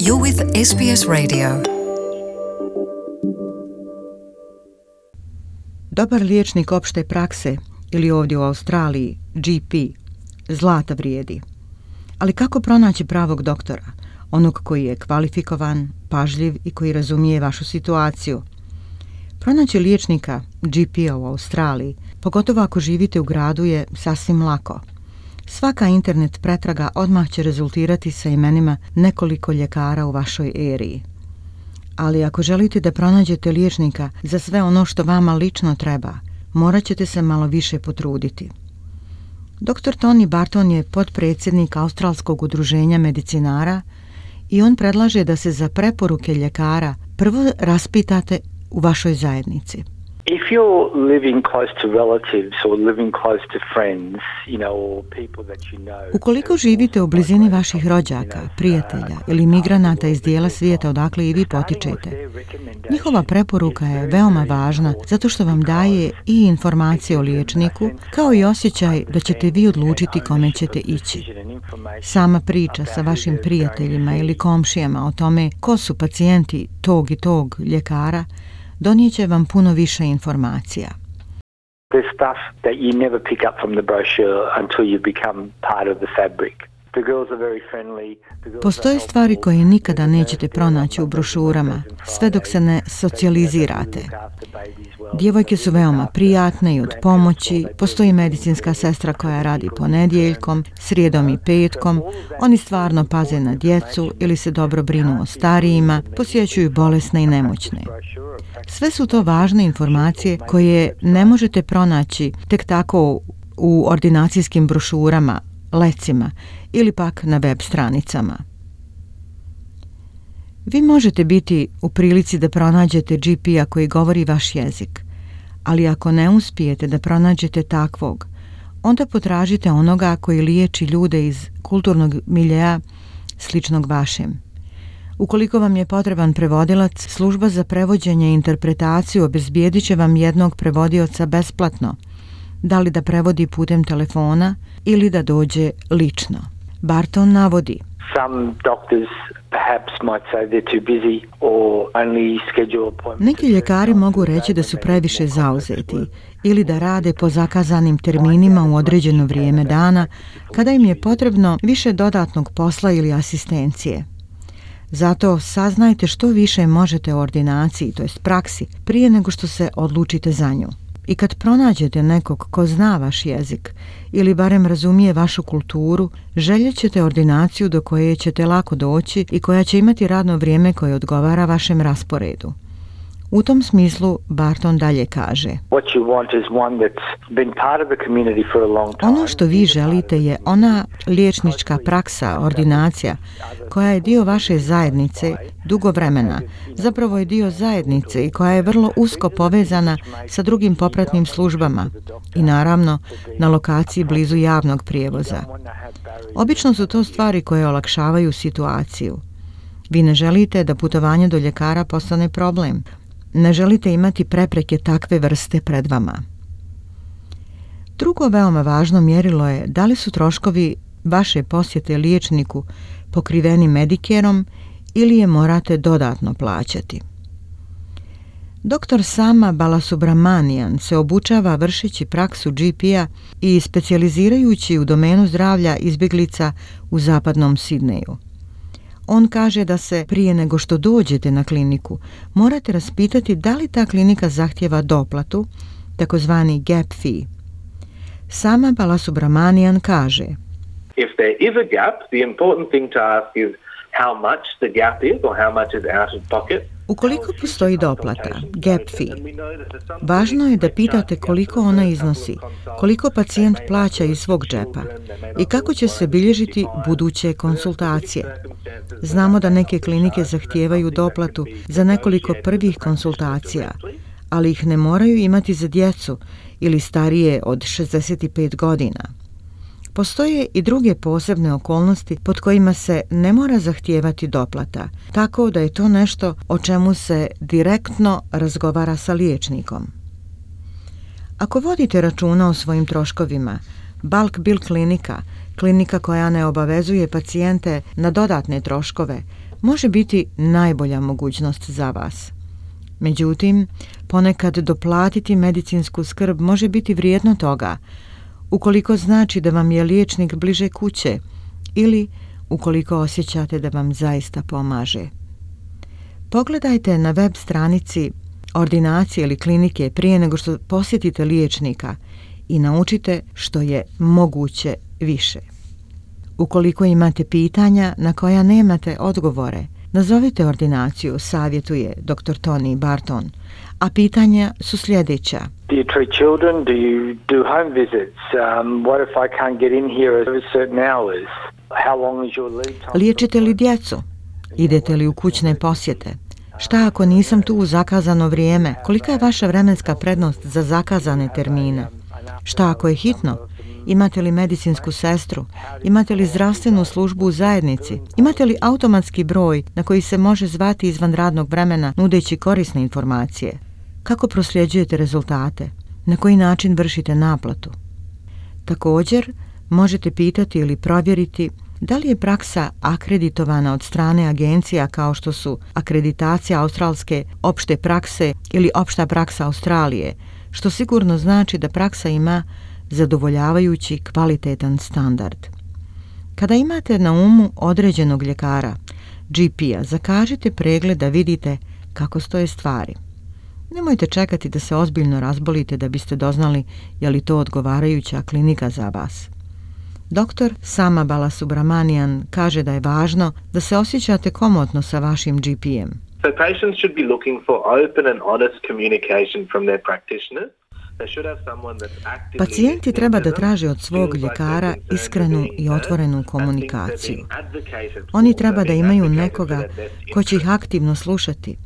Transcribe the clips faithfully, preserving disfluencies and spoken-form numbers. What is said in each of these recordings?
You're with S B S Radio. Dobar liječnik opšte prakse ili ovdje u Australiji G P zlata vrijedi. Ali kako pronaći pravog doktora, onog koji je kvalifikovan, pažljiv i koji razumije vašu situaciju? Pronaći liječnika G P-a u Australiji, pogotovo ako živite u gradu, je sasvim lako. Svaka internet pretraga odmah će rezultirati sa imenima nekoliko ljekara u vašoj eriji. Ali ako želite da pronađete liječnika za sve ono što vama lično treba, morat ćete se malo više potruditi. doktor Tony Barton je potpredsjednik Australskog udruženja medicinara i on predlaže da se za preporuke ljekara prvo raspitate u vašoj zajednici. If you're living close to relatives or living close to friends, you know, or people that you know. Ukoliko živite u blizini vaših rođaka, prijatelja ili migranata iz dijela svijeta odakle i vi potičete, njihova preporuka je veoma važna zato što vam daje i informacije o liječniku, kao i osjećaj da ćete vi odlučiti kome ćete ići. Sama priča sa vašim prijateljima ili komšijama o tome ko su pacijenti tog i tog ljekara donijet će vam puno više informacija. There's stuff that you never pick up from the brochure until you become part of the fabric. The girls are very friendly. Postoje stvari koje nikada nećete pronaći u brošurama, sve dok se ne socijalizirate. Djevojke su veoma prijatne i od pomoći, postoji medicinska sestra koja radi ponedjeljkom, srijedom i petkom, oni stvarno paze na djecu ili se dobro brinu o starijima, posjećuju bolesne i nemoćne. Sve su to važne informacije koje ne možete pronaći tek tako u ordinacijskim brošurama, lecima ili pak na web stranicama. Vi možete biti u prilici da pronađete G P-a koji govori vaš jezik, ali ako ne uspijete da pronađete takvog, onda potražite onoga koji liječi ljude iz kulturnog miljea sličnog vašem. Ukoliko vam je potreban prevodilac, služba za prevođenje i interpretaciju obezbijedit će vam jednog prevodioca besplatno, da li da prevodi putem telefona ili da dođe lično. Barton navodi: Some doctors perhaps might say they're too busy or only schedule appointments. Neki ljekari mogu reći da su previše zauzeti ili da rade po zakazanim terminima u određeno vrijeme dana kada im je potrebno više dodatnog posla ili asistencije. Zato saznajte što više možete o ordinaciji, to jest praksi, prije nego što se odlučite za nju. I kad pronađete nekog ko zna vaš jezik ili barem razumije vašu kulturu, željet ćete ordinaciju do koje ćete lako doći i koja će imati radno vrijeme koje odgovara vašem rasporedu. U tom smislu Barton dalje kaže: ono što vi želite je ona liječnička praksa, ordinacija, koja je dio vaše zajednice dugo vremena, zapravo je dio zajednice i koja je vrlo usko povezana sa drugim popratnim službama i naravno na lokaciji blizu javnog prijevoza. Obično su to stvari koje olakšavaju situaciju. Vi ne želite da putovanje do ljekara postane problem. Ne želite imati prepreke takve vrste pred vama. Drugo veoma važno mjerilo je da li su troškovi vaše posjete liječniku pokriveni Medicareom ili je morate dodatno plaćati. doktor Sama Balasubramanian se obučava vršeći praksu G P-a i specijalizirajući u domenu zdravlja izbjeglica u zapadnom Sidneju. On kaže da se prije nego što dođete na kliniku morate raspitati da li ta klinika zahtjeva doplatu, takozvani gap fee. Sama Balasubramanian kaže: If there is a gap, the important thing to ask is how much the gap is or how much is out of pocket. Ukoliko postoji doplata, gap fee, važno je da pitate koliko ona iznosi, koliko pacijent plaća iz svog džepa i kako će se bilježiti buduće konsultacije. Znamo da neke klinike zahtijevaju doplatu za nekoliko prvih konsultacija, ali ih ne moraju imati za djecu ili starije od šezdeset pet godina. Postoje i druge posebne okolnosti pod kojima se ne mora zahtijevati doplata, tako da je to nešto o čemu se direktno razgovara sa liječnikom. Ako vodite računa o svojim troškovima, bulk bill klinika, Klinika koja ne obavezuje pacijente na dodatne troškove može biti najbolja mogućnost za vas. Međutim, ponekad doplatiti medicinsku skrb može biti vrijedno toga, ukoliko znači da vam je liječnik bliže kuće ili ukoliko osjećate da vam zaista pomaže. Pogledajte na web stranici ordinacije ili klinike prije nego što posjetite liječnika i naučite što je moguće više. Ukoliko imate pitanja na koja nemate odgovore, nazovite ordinaciju, savjetuje doktor Tony Barton, a pitanja su sljedeća. Do you treat children? Do you do home visits? Um, what if I can't get in here at certain hours? How long is your lead time? Liječite li djecu? Idete li u kućne posjete? Šta ako nisam tu u zakazano vrijeme? Kolika je vaša vremenska prednost za zakazane termine? Šta ako je hitno? Imate li medicinsku sestru? Imate li zdravstvenu službu u zajednici? Imate li automatski broj na koji se može zvati izvan radnog vremena nudeći korisne informacije? Kako prosljeđujete rezultate? Na koji način vršite naplatu? Također, možete pitati ili provjeriti da li je praksa akreditovana od strane agencija kao što su akreditacija australske opšte prakse ili opšta praksa Australije, što sigurno znači da praksa ima zadovoljavajući kvalitetan standard. Kada imate na umu određenog ljekara, G P-a, zakažite pregled da vidite kako stoje stvari. Nemojte čekati da se ozbiljno razbolite da biste doznali je li to odgovarajuća klinika za vas. Doktor Sama Balasubramanian kaže da je važno da se osjećate komotno sa vašim G P-em. So patients should be looking for open and honest communication from their practitioners. Pacijenti treba da traže od svog ljekara iskrenu i otvorenu komunikaciju. Oni treba da imaju nekoga ko će ih aktivno slušati,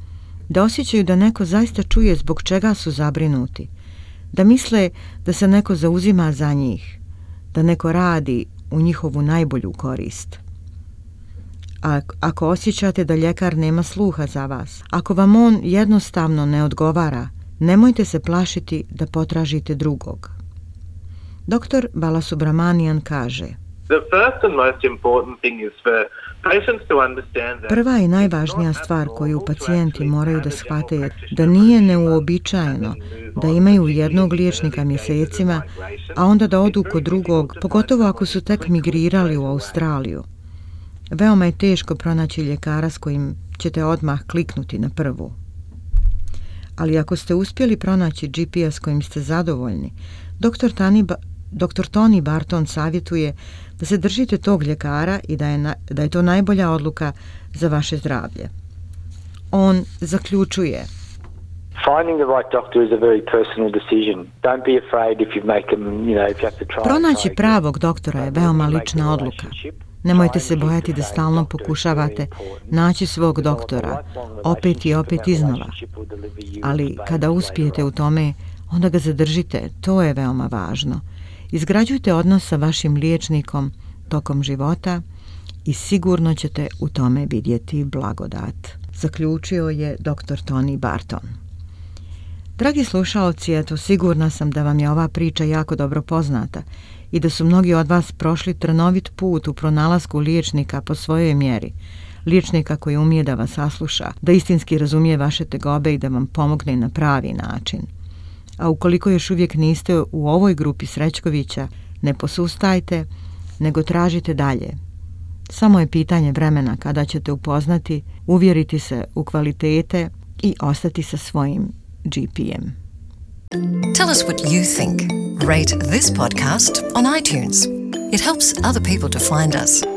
da osjećaju da neko zaista čuje zbog čega su zabrinuti, da misle da se neko zauzima za njih, da neko radi u njihovu najbolju korist. A ako osjećate da ljekar nema sluha za vas, ako vam on jednostavno ne odgovara, nemojte se plašiti da potražite drugog. Doktor Balasubramanian kaže: Prva i najvažnija stvar koju pacijenti moraju da shvate je da nije neuobičajeno da imaju jednog liječnika mjesecima, a onda da odu kod drugog, pogotovo ako su tek migrirali u Australiju. Veoma je teško pronaći ljekara s kojim ćete odmah kliknuti na prvu. Ali ako ste uspjeli pronaći G P-a s kojim ste zadovoljni, doktor Tani, doktor Tony Barton savjetuje da se držite tog ljekara i da je, na, da je to najbolja odluka za vaše zdravlje. On zaključuje: Finding the right doctor is a very personal decision. Don't be afraid if you make them, you know, if you have to try. Pronaći pravog doktora je veoma lična odluka. Nemojte se bojati da stalno pokušavate naći svog doktora, opet i opet iznova. Ali kada uspijete u tome, onda ga zadržite, to je veoma važno. Izgrađujte odnos sa vašim liječnikom tokom života i sigurno ćete u tome vidjeti blagodat, zaključio je doktor Tony Barton. Dragi slušaoci, eto, sigurna sam da vam je ova priča jako dobro poznata i da su mnogi od vas prošli trnovit put u pronalasku liječnika po svojoj mjeri, liječnika koji umije da vas sasluša, da istinski razumije vaše tegobe i da vam pomogne na pravi način. A ukoliko još uvijek niste u ovoj grupi Srećkovića, ne posustajte, nego tražite dalje. Samo je pitanje vremena kada ćete upoznati, uvjeriti se u kvalitete i ostati sa svojim G P-em. Tell us what you think. Rate this podcast on iTunes. It helps other people to find us.